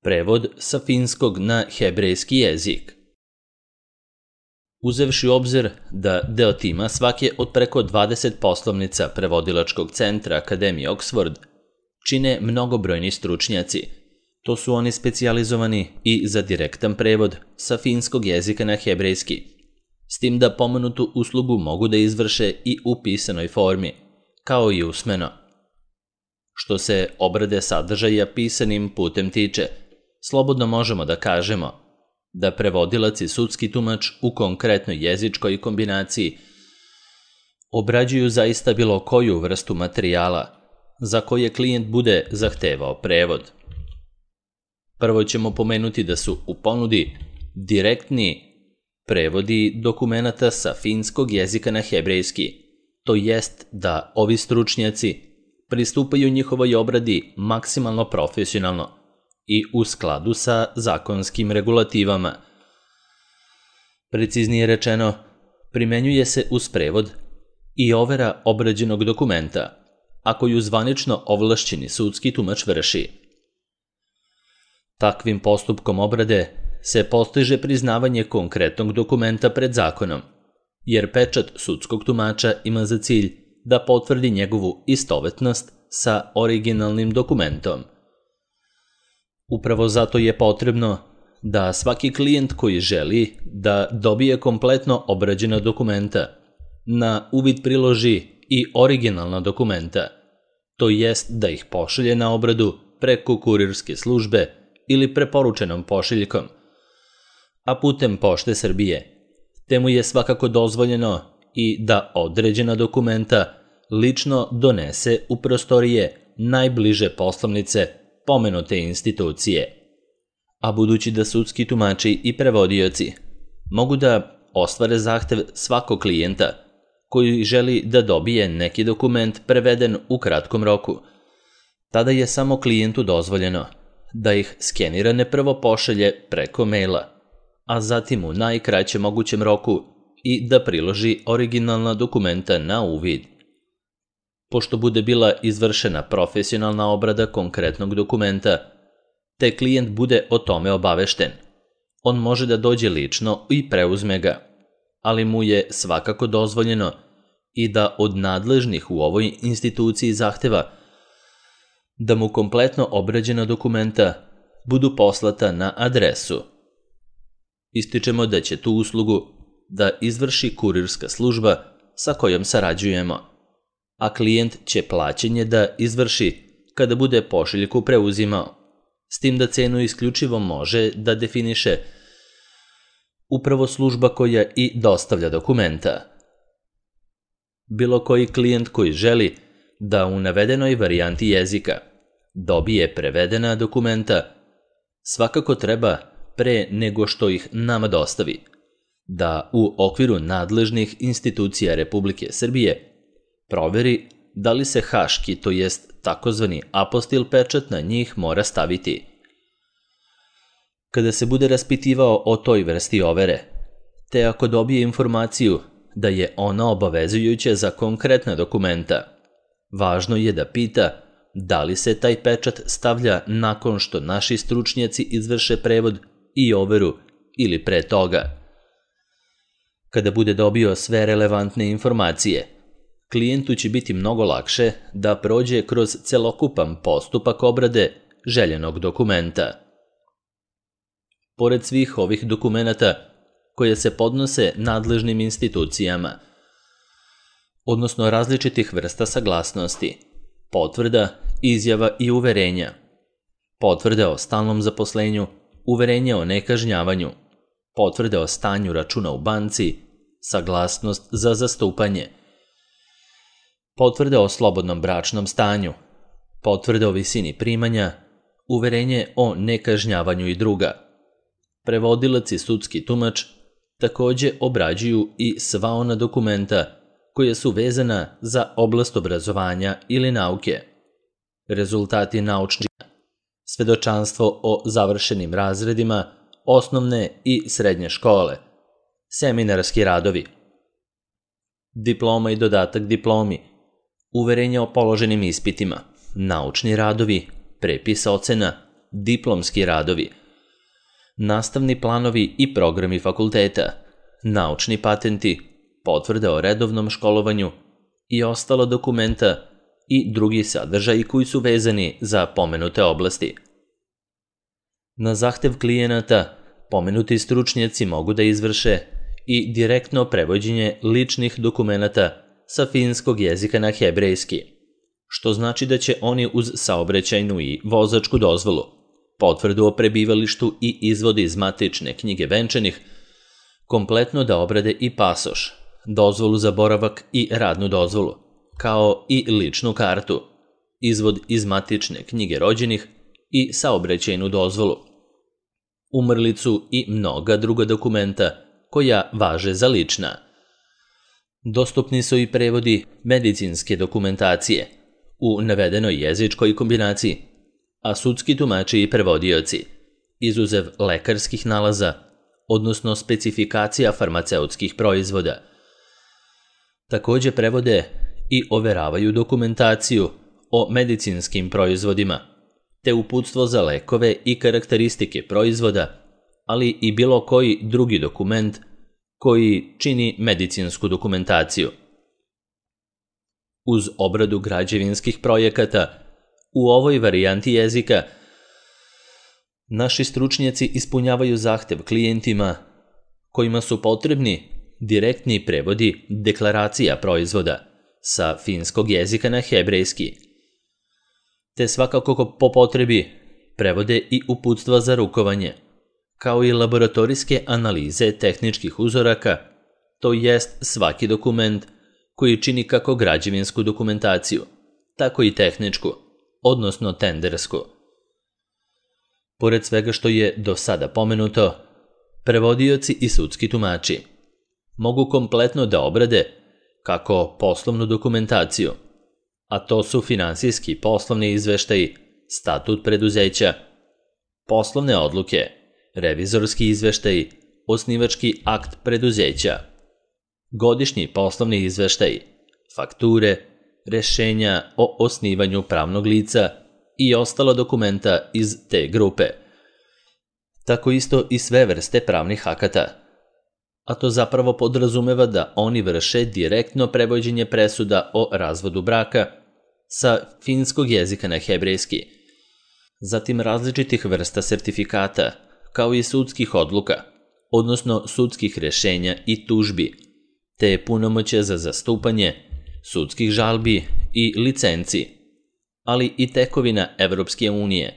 Prevod sa finskog na hebrejski jezik. Uzevši u obzir da deo tima svake od preko 20 poslovnica prevodilačkog centra Akademije Oxford čine mnogobrojni stručnjaci. To su oni specijalizovani i za direktan prevod sa finskog jezika na hebrejski, s tim da pomenutu uslugu mogu da izvrše i u pisanoj formi, kao i usmeno. Što se obrade sadržaja pisanim putem tiče, slobodno možemo da kažemo da prevodilac i sudski tumač u konkretnoj jezičkoj kombinaciji obrađuju zaista bilo koju vrstu materijala za koje klijent bude zahtevao prevod. Prvo ćemo pomenuti da su u ponudi direktni prevodi dokumenata sa finskog jezika na hebrejski, to jest da ovi stručnjaci pristupaju njihovoj obradi maksimalno profesionalno i u skladu sa zakonskim regulativama. Preciznije rečeno, primenjuje se uz prevod i overa obrađenog dokumenta, a koju zvanično ovlašćeni sudski tumač vrši. Takvim postupkom obrade se postiže priznavanje konkretnog dokumenta pred zakonom, jer pečat sudskog tumača ima za cilj da potvrdi njegovu istovetnost sa originalnim dokumentom. Upravo zato je potrebno da svaki klijent koji želi da dobije kompletno obrađena dokumenta na uvid priloži i originalna dokumenta, to jest da ih pošalje na obradu preko kurirske službe ili preporučenom pošiljkom, a putem Pošte Srbije, te mu je svakako dozvoljeno i da određena dokumenta lično donese u prostorije najbliže poslovnice pomenute institucije. A budući da sudski tumači i prevodioci mogu da ostvare zahtev svakog klijenta koji želi da dobije neki dokument preveden u kratkom roku, tada je samo klijentu dozvoljeno da ih skenirane prvo pošalje preko maila, a zatim u najkraćem mogućem roku i da priloži originalna dokumenta na uvid. Pošto bude bila izvršena profesionalna obrada konkretnog dokumenta, te klijent bude o tome obavešten, on može da dođe lično i preuzme ga, ali mu je svakako dozvoljeno i da od nadležnih u ovoj instituciji zahteva da mu kompletno obrađena dokumenta budu poslata na adresu. Ističemo da će tu uslugu da izvrši kurirska služba sa kojom sarađujemo, a klijent će plaćanje da izvrši kada bude pošiljku preuzimao, s tim da cenu isključivo može da definiše upravo služba koja i dostavlja dokumenta. Bilo koji klijent koji želi da u navedenoj varijanti jezika dobije prevedena dokumenta, svakako treba pre nego što ih nama dostavi, da u okviru nadležnih institucija Republike Srbije proveri da li se haški, to jest takozvani apostil pečat na njih mora staviti. Kada se bude raspitivao o toj vrsti overe, te ako dobije informaciju da je ona obavezujuća za konkretna dokumenta, važno je da pita da li se taj pečat stavlja nakon što naši stručnjaci izvrše prevod i overu ili pre toga. Kada bude dobio sve relevantne informacije, klijentu će biti mnogo lakše da prođe kroz celokupan postupak obrade željenog dokumenta. Pored svih ovih dokumenata koje se podnose nadležnim institucijama, odnosno različitih vrsta saglasnosti, potvrda, izjava i uverenja, potvrde o stalnom zaposlenju, uverenje o nekažnjavanju, potvrde o stanju računa u banci, saglasnost za zastupanje, potvrde o slobodnom bračnom stanju, potvrde o visini primanja, uverenje o nekažnjavanju i druga. Prevodilac i sudski tumač takođe obrađuju i sva ona dokumenta koja su vezana za oblast obrazovanja ili nauke, rezultati naučnih, svedočanstvo o završenim razredima osnovne i srednje škole, seminarski radovi, diploma i dodatak diplomi, uverenja o položenim ispitima, naučni radovi, prepis ocena, diplomski radovi, nastavni planovi i programi fakulteta, naučni patenti, potvrde o redovnom školovanju i ostala dokumenta i drugi sadržaji koji su vezani za pomenute oblasti. Na zahtev klijenata, pomenuti stručnjaci mogu da izvrše i direktno prevođenje ličnih dokumenata sa finskog jezika na hebrejski, što znači da će oni uz saobraćajnu i vozačku dozvolu, potvrdu o prebivalištu i izvod iz matične knjige venčanih, kompletno da obrade i pasoš, dozvolu za boravak i radnu dozvolu, kao i ličnu kartu, izvod iz matične knjige rođenih i saobraćajnu dozvolu, umrlicu i mnoga druga dokumenta koja važe za lična. Dostupni su i prevodi medicinske dokumentacije u navedenoj jezičkoj kombinaciji, a sudski tumači i prevodioci, izuzev lekarskih nalaza, odnosno specifikacija farmaceutskih proizvoda. Također prevode i overavaju dokumentaciju o medicinskim proizvodima, te uputstvo za lekove i karakteristike proizvoda, ali i bilo koji drugi dokument koji čini medicinsku dokumentaciju. Uz obradu građevinskih projekata, u ovoj varijanti jezika, naši stručnjaci ispunjavaju zahtev klijentima kojima su potrebni direktni prevodi deklaracija proizvoda sa finskog jezika na hebrejski, te svakako po potrebi prevode i uputstva za rukovanje, kao i laboratorijske analize tehničkih uzoraka, to jest svaki dokument koji čini kako građevinsku dokumentaciju, tako i tehničku, odnosno tendersku. Pored svega što je do sada pomenuto, prevodioci i sudski tumači mogu kompletno da obrade kako poslovnu dokumentaciju, a to su finansijski poslovni izveštaji, statut preduzeća, poslovne odluke, revizorski izveštaji, osnivački akt preduzeća, godišnji poslovni izveštaji, fakture, rešenja o osnivanju pravnog lica i ostala dokumenta iz te grupe. Tako isto i sve vrste pravnih akata, a to zapravo podrazumeva da oni vrše direktno prevođenje presuda o razvodu braka sa finskog jezika na hebrejski, zatim različitih vrsta sertifikata, kao i sudskih odluka, odnosno sudskih rešenja i tužbi, te punomoćja za zastupanje, sudskih žalbi i licenci, ali i tekovina Evropske unije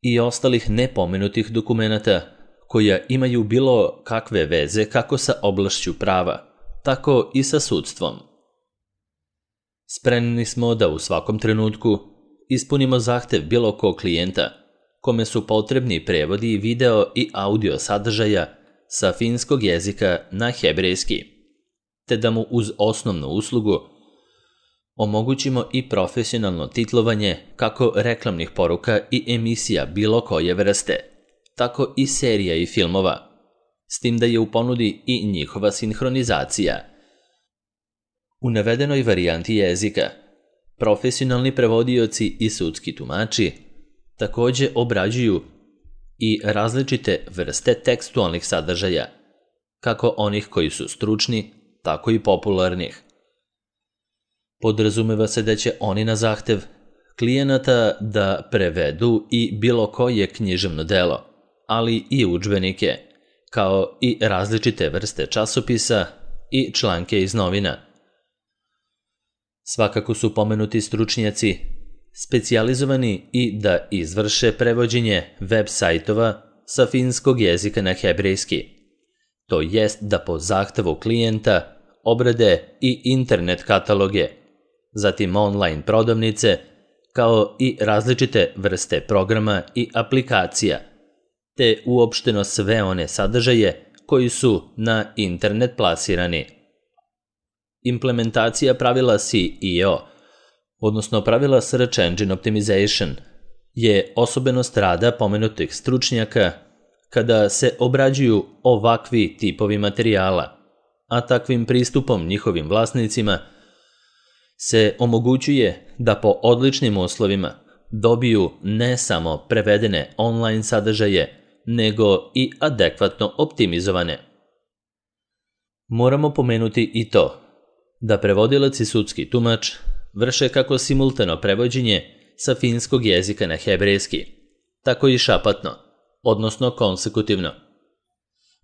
i ostalih nepomenutih dokumenata koja imaju bilo kakve veze kako sa oblašću prava, tako i sa sudstvom. Spremni smo da u svakom trenutku ispunimo zahtev bilo kog klijenta, kome su potrebni prevodi video i audio sadržaja sa finskog jezika na hebrejski, te da mu uz osnovnu uslugu omogućimo i profesionalno titlovanje kako reklamnih poruka i emisija bilo koje vrste, tako i serija i filmova, s tim da je u ponudi i njihova sinhronizacija. U navedenoj varijanti jezika, profesionalni prevodioci i sudski tumači također obrađuju i različite vrste tekstualnih sadržaja, kako onih koji su stručni, tako i popularnih. Podrazumeva se da će oni na zahtev klijenata da prevedu i bilo koje književno delo, ali i udžbenike, kao i različite vrste časopisa i članke iz novina. Svakako su pomenuti stručnjaci specijalizovani i da izvrše prevođenje web sajtova sa finskog jezika na hebrejski, to jest da po zahtevu klijenta obrade i internet kataloge, zatim online prodavnice, kao i različite vrste programa i aplikacija, te uopšteno sve one sadržaje koji su na internet plasirani. Implementacija pravila SEO, odnosno pravila Search Engine Optimization, je osobenost rada pomenutih stručnjaka kada se obrađuju ovakvi tipovi materijala, a takvim pristupom njihovim vlasnicima se omogućuje da po odličnim uslovima dobiju ne samo prevedene online sadržaje, nego i adekvatno optimizovane. Moramo pomenuti i to da prevodilac i sudski tumač vrše kako simultano prevođenje sa finskog jezika na hebrejski, tako i šapatno, odnosno konsekutivno.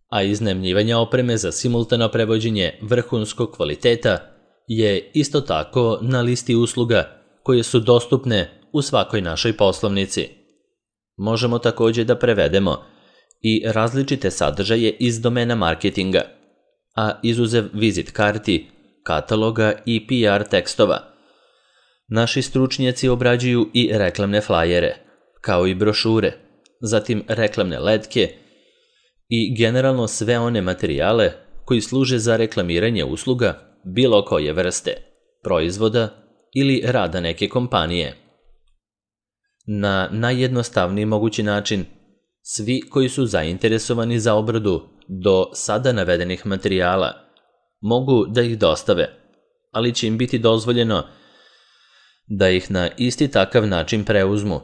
A iznajmljivanje opreme za simultano prevođenje vrhunskog kvaliteta je isto tako na listi usluga koje su dostupne u svakoj našoj poslovnici. Možemo također da prevedemo i različite sadržaje iz domena marketinga, a izuzev vizit karti, kataloga i PR tekstova. Naši stručnjaci obrađuju i reklamne flajere, kao i brošure, zatim reklamne letke i generalno sve one materijale koji služe za reklamiranje usluga bilo koje vrste, proizvoda ili rada neke kompanije. Na najjednostavniji mogući način, svi koji su zainteresovani za obradu do sada navedenih materijala mogu da ih dostave, ali će im biti dozvoljeno da ih na isti takav način preuzmu,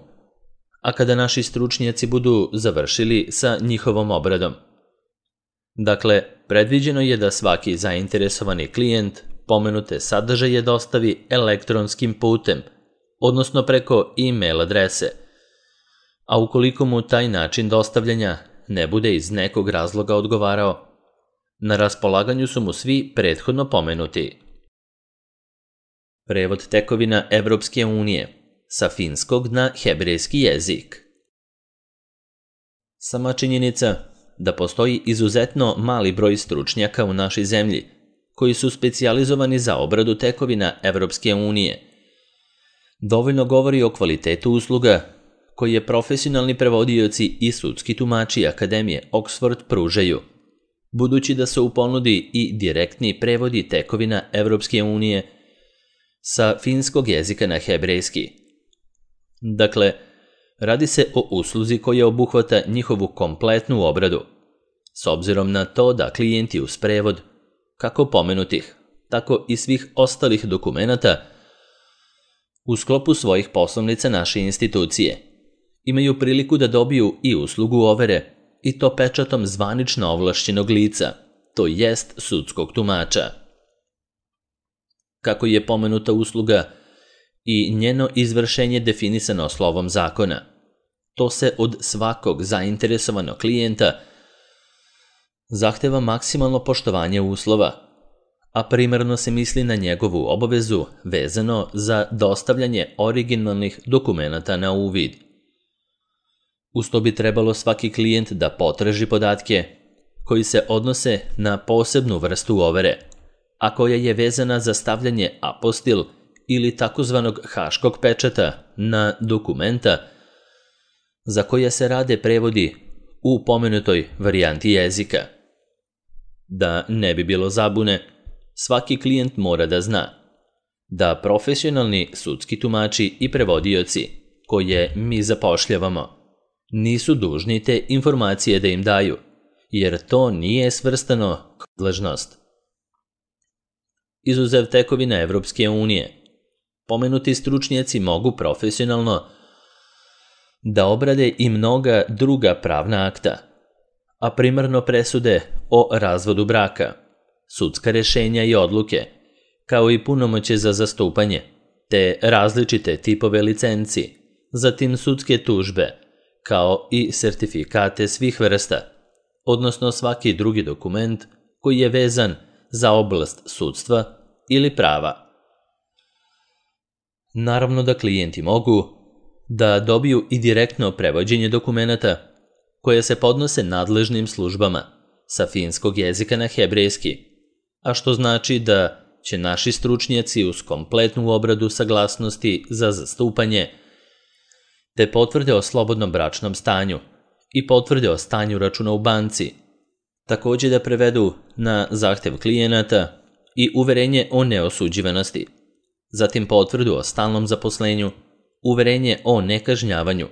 a kada naši stručnjaci budu završili sa njihovom obradom. Dakle, predviđeno je da svaki zainteresovani klijent pomenute sadržaje dostavi elektronskim putem, odnosno preko e-mail adrese, a ukoliko mu taj način dostavljanja ne bude iz nekog razloga odgovarao, na raspolaganju su mu svi prethodno pomenuti. Prevod tekovina Evropske unije sa finskog na hebrejski jezik. Sama činjenica da postoji izuzetno mali broj stručnjaka u našoj zemlji koji su specijalizovani za obradu tekovina Evropske unije dovoljno govori o kvalitetu usluga koje profesionalni prevodioci i sudski tumači Akademije Oxford pružaju, budući da se u ponudi i direktni prevodi tekovina Evropske unije sa finskog jezika na hebrejski. Dakle, radi se o usluzi koja obuhvata njihovu kompletnu obradu, s obzirom na to da klijenti uz prevod, kako pomenutih, tako i svih ostalih dokumenata, u sklopu svojih poslovnica naše institucije, imaju priliku da dobiju i uslugu overe, i to pečatom zvanično ovlašćenog lica, to jest sudskog tumača. Kako je pomenuta usluga i njeno izvršenje definisano slovom zakona, to se od svakog zainteresovanog klijenta zahteva maksimalno poštovanje uslova, a primarno se misli na njegovu obavezu vezano za dostavljanje originalnih dokumenata na uvid. Uz to bi trebalo svaki klijent da potraži podatke koji se odnose na posebnu vrstu overe, a koja je vezana za stavljanje apostil ili takozvanog haškog pečata na dokumenta za koje se rade prevodi u pomenutoj varijanti jezika. Da ne bi bilo zabune, svaki klijent mora da zna da profesionalni sudski tumači i prevodioci koje mi zapošljavamo nisu dužni te informacije da im daju, jer to nije svrstano kao nadležnost. Izuzev tekovina Evropske unije, pomenuti stručnjaci mogu profesionalno da obrade i mnoga druga pravna akta, a primarno presude o razvodu braka, sudska rješenja i odluke, kao i punomoćje za zastupanje, te različite tipove licenci, zatim sudske tužbe, kao i sertifikate svih vrsta, odnosno svaki drugi dokument koji je vezan za oblast sudstva ili prava. Naravno da klijenti mogu da dobiju i direktno prevođenje dokumenata koje se podnose nadležnim službama sa finskog jezika na hebrejski, a što znači da će naši stručnjaci uz kompletnu obradu saglasnosti za zastupanje te potvrde o slobodnom bračnom stanju i potvrde o stanju računa u banci, također da prevedu na zahtev klijenata i uverenje o neosuđivanosti, zatim potvrdu o stalnom zaposlenju, uverenje o nekažnjavanju,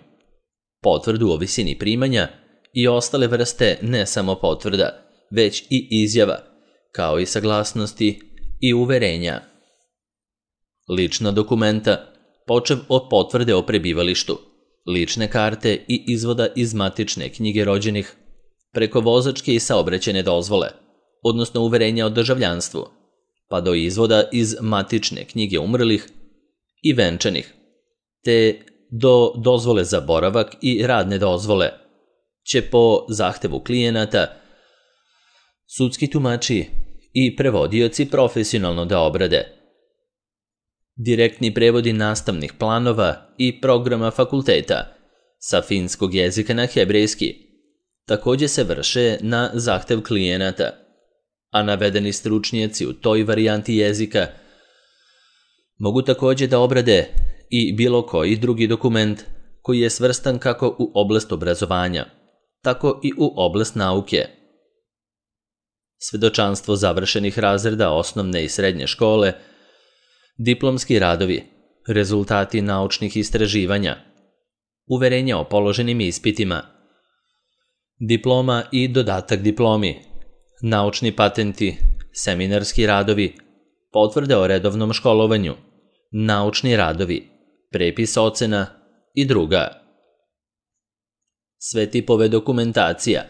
potvrdu o visini primanja i ostale vrste ne samo potvrda, već i izjava, kao i saglasnosti i uverenja. Lična dokumenta, počev od potvrde o prebivalištu, lične karte i izvoda iz matične knjige rođenih, preko vozačke i saobraćajne dozvole, odnosno uverenja o državljanstvu, pa do izvoda iz matične knjige umrlih i venčanih, te do dozvole za boravak i radne dozvole, će po zahtevu klijenata sudski tumači i prevodioci profesionalno da obrade. Direktni prevodi nastavnih planova i programa fakulteta sa finskog jezika na hebrejski također se vrše na zahtev klijenata, a navedeni stručnjaci u toj varijanti jezika mogu također da obrade i bilo koji drugi dokument koji je svrstan kako u oblast obrazovanja, tako i u oblast nauke. Svedočanstvo završenih razreda osnovne i srednje škole, diplomski radovi, rezultati naučnih istraživanja, uverenja o položenim ispitima, diploma i dodatak diplomi, naučni patenti, seminarski radovi, potvrde o redovnom školovanju, naučni radovi, prepis ocena i druga. Sve tipove dokumentacija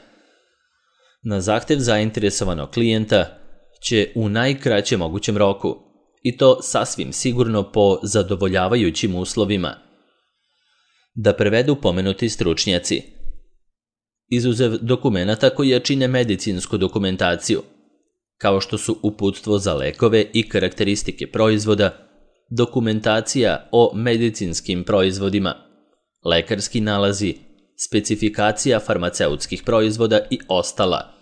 na zahtev zainteresovanog klijenta će u najkraćem mogućem roku, i to sasvim sigurno po zadovoljavajućim uslovima, da prevedu pomenuti stručnjaci. Izuzev dokumenata koji čine medicinsku dokumentaciju, kao što su uputstvo za lekove i karakteristike proizvoda, dokumentacija o medicinskim proizvodima, lekarski nalazi, specifikacija farmaceutskih proizvoda i ostala.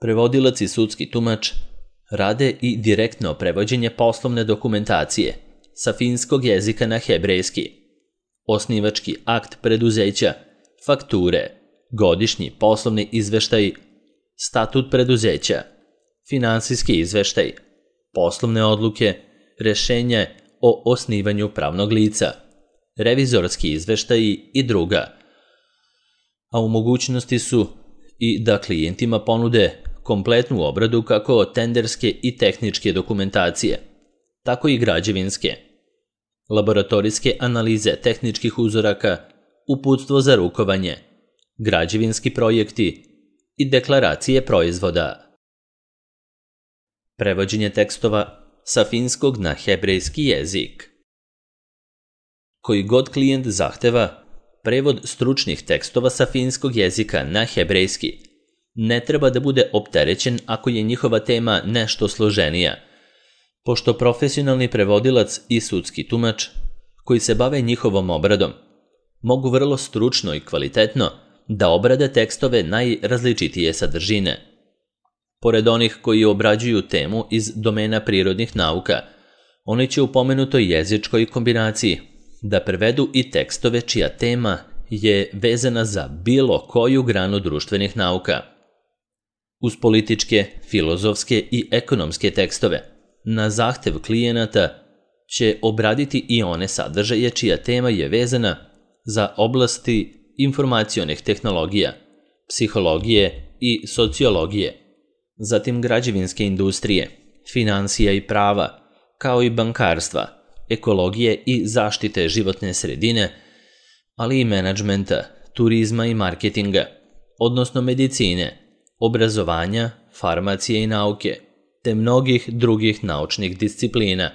Prevodilac i sudski tumač rade i direktno prevođenje poslovne dokumentacije sa finskog jezika na hebrejski, osnivački akt preduzeća, fakture, godišnji poslovni izveštaj, statut preduzeća, finansijski izveštaj, poslovne odluke, rešenje o osnivanju pravnog lica, revizorski izveštaji i druga. A u mogućnosti su i da klijentima ponude kompletnu obradu kako tenderske i tehničke dokumentacije, tako i građevinske, laboratorijske analize tehničkih uzoraka, uputstvo za rukovanje, građevinski projekti i deklaracije proizvoda. Prevođenje tekstova sa finskog na hebrejski jezik. Koji god klijent zahteva, prevod stručnih tekstova sa finskog jezika na hebrejski ne treba da bude opterećen ako je njihova tema nešto složenija, pošto profesionalni prevodilac i sudski tumač koji se bave njihovom obradom mogu vrlo stručno i kvalitetno da obrade tekstove najrazličitije sadržine. Pored onih koji obrađuju temu iz domena prirodnih nauka, oni će u pomenutoj jezičkoj kombinaciji da prevedu i tekstove čija tema je vezana za bilo koju granu društvenih nauka. Uz političke, filozofske i ekonomske tekstove, na zahtev klijenata će obraditi i one sadržaje čija tema je vezana za oblasti informacionih tehnologija, psihologije i sociologije, zatim građevinske industrije, finansija i prava, kao i bankarstva, ekologije i zaštite životne sredine, ali i menadžmenta, turizma i marketinga, odnosno medicine, obrazovanja, farmacije i nauke, te mnogih drugih naučnih disciplina.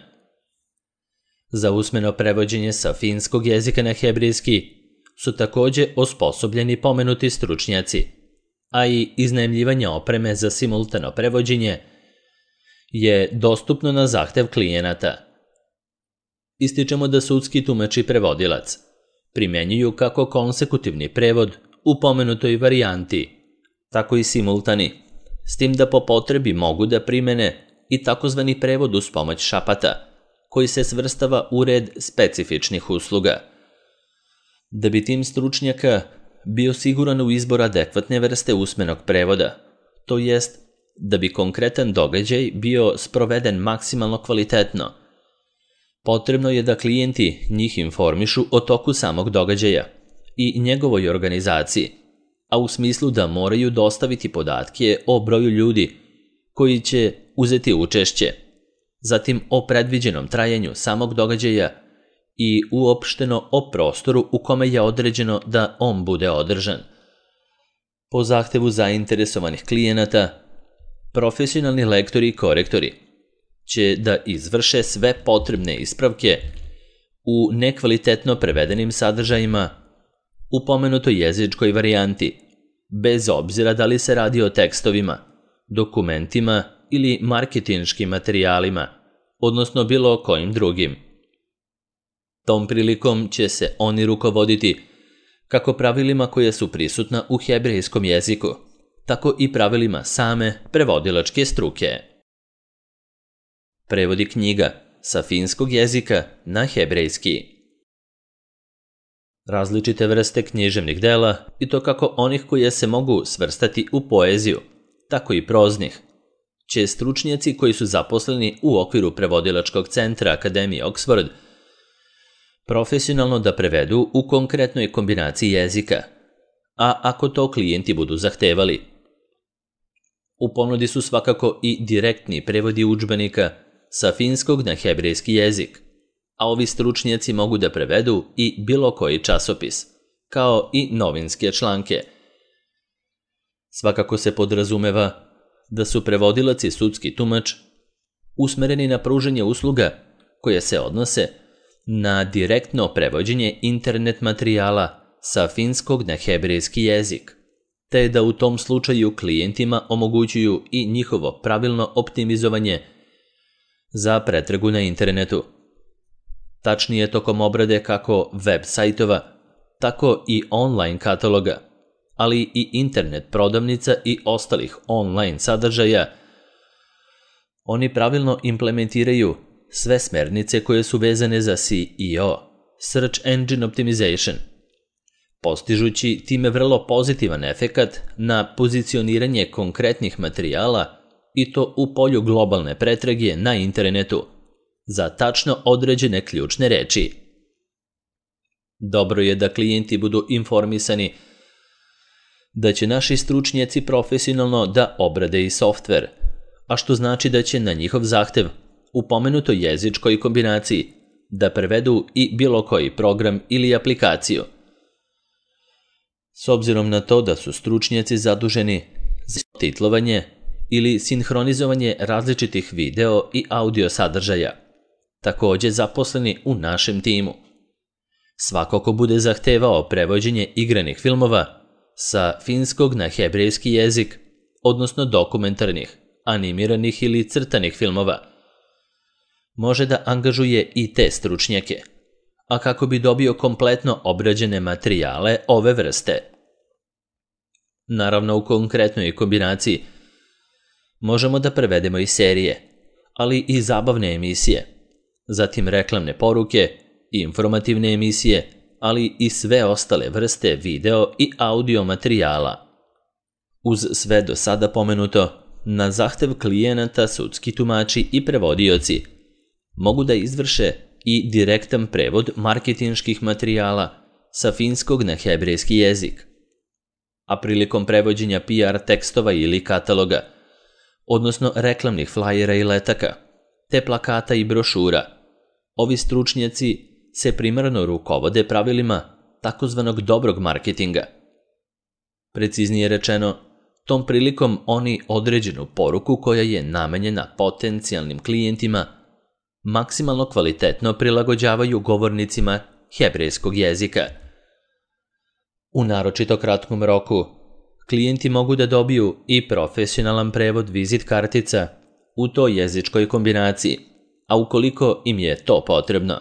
Za usmeno prevođenje sa finskog jezika na hebrejski su također osposobljeni pomenuti stručnjaci, a i iznajmljivanje opreme za simultano prevođenje je dostupno na zahtev klijenata. Ističemo da sudski tumač i prevodilac primjenjuju kako konsekutivni prevod u pomenutoj varijanti, tako i simultani, s tim da po potrebi mogu da primene i takozvani prevod uz pomoć šapata, koji se svrstava u red specifičnih usluga. Da bi tim stručnjaka bio siguran u izbor adekvatne vrste usmenog prevoda, to jest da bi konkretan događaj bio sproveden maksimalno kvalitetno, potrebno je da klijenti njih informišu o toku samog događaja i njegovoj organizaciji, a u smislu da moraju dostaviti podatke o broju ljudi koji će uzeti učešće, zatim o predviđenom trajanju samog događaja i uopšteno o prostoru u kome je određeno da on bude održan. Po zahtevu zainteresovanih klijenata, profesionalni lektori i korektori će da izvrše sve potrebne ispravke u nekvalitetno prevedenim sadržajima u pomenutoj jezičkoj varijanti, bez obzira da li se radi o tekstovima, dokumentima ili marketinškim materijalima, odnosno bilo kojim drugim. Tom prilikom će se oni rukovoditi kako pravilima koja su prisutna u hebrejskom jeziku, tako i pravilima same prevodilačke struke. Prevodi knjiga sa finskog jezika na hebrejski. Različite vrste književnih dela, i to kako onih koje se mogu svrstati u poeziju, tako i proznih, će stručnjaci koji su zaposleni u okviru prevodilačkog centra Akademije Oxford profesionalno da prevedu u konkretnoj kombinaciji jezika, a ako to klijenti budu zahtevali. U ponudi su svakako i direktni prevodi udžbenika sa finskog na hebrejski jezik, a ovi stručnjaci mogu da prevedu i bilo koji časopis, kao i novinske članke. Svakako se podrazumeva da su prevodilac i sudski tumač usmereni na pružanje usluga koje se odnose na direktno prevođenje internet materijala sa finskog na hebrejski jezik, te da u tom slučaju klijentima omogućuju i njihovo pravilno optimizovanje za pretragu na internetu. Tačnije tokom obrade kako web sajtova, tako i online kataloga, ali i internet prodavnica i ostalih online sadržaja, oni pravilno implementiraju sve smernice koje su vezane za SEO, Search Engine Optimization, postižući time vrlo pozitivan efekat na pozicioniranje konkretnih materijala i to u polju globalne pretrage na internetu za tačno određene ključne reči. Dobro je da klijenti budu informisani da će naši stručnjaci profesionalno da obrade i softver, a što znači da će na njihov zahtev u pomenutoj jezičkoj kombinaciji da prevedu i bilo koji program ili aplikaciju. S obzirom na to da su stručnjaci zaduženi za titlovanje ili sinhronizovanje različitih video i audio sadržaja, također zaposleni u našem timu. Svako ko bude zahtevao prevođenje igranih filmova sa finskog na hebrejski jezik, odnosno dokumentarnih, animiranih ili crtanih filmova, može da angažuje i te stručnjake, a kako bi dobio kompletno obrađene materijale ove vrste. Naravno, u konkretnoj kombinaciji možemo da prevedemo i serije, ali i zabavne emisije, zatim reklamne poruke, informativne emisije, ali i sve ostale vrste video i audio materijala. Uz sve do sada pomenuto, na zahtev klijenata sudski tumači i prevodioci mogu da izvrše i direktan prevod marketinških materijala sa finskog na hebrejski jezik. A prilikom prevođenja PR tekstova ili kataloga, odnosno reklamnih flajera i letaka, te plakata i brošura, ovi stručnjaci se primarno rukovode pravilima takozvanog dobrog marketinga. Preciznije rečeno, tom prilikom oni određenu poruku koja je namenjena potencijalnim klijentima maksimalno kvalitetno prilagođavaju govornicima hebrejskog jezika. U naročito kratkom roku, klijenti mogu da dobiju i profesionalan prevod vizit kartica u toj jezičkoj kombinaciji, a ukoliko im je to potrebno,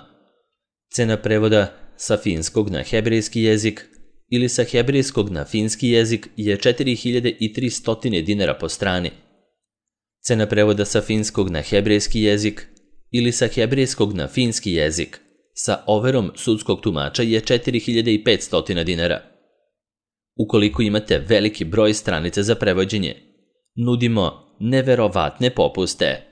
cena prevoda sa finskog na hebrejski jezik ili sa hebrejskog na finski jezik je 4300 dinara po strani. Cena prevoda sa finskog na hebrejski jezik ili sa hebrejskog na finski jezik sa overom sudskog tumača je 4500 dinara. Ukoliko imate veliki broj stranica za prevođenje, nudimo neverovatne popuste.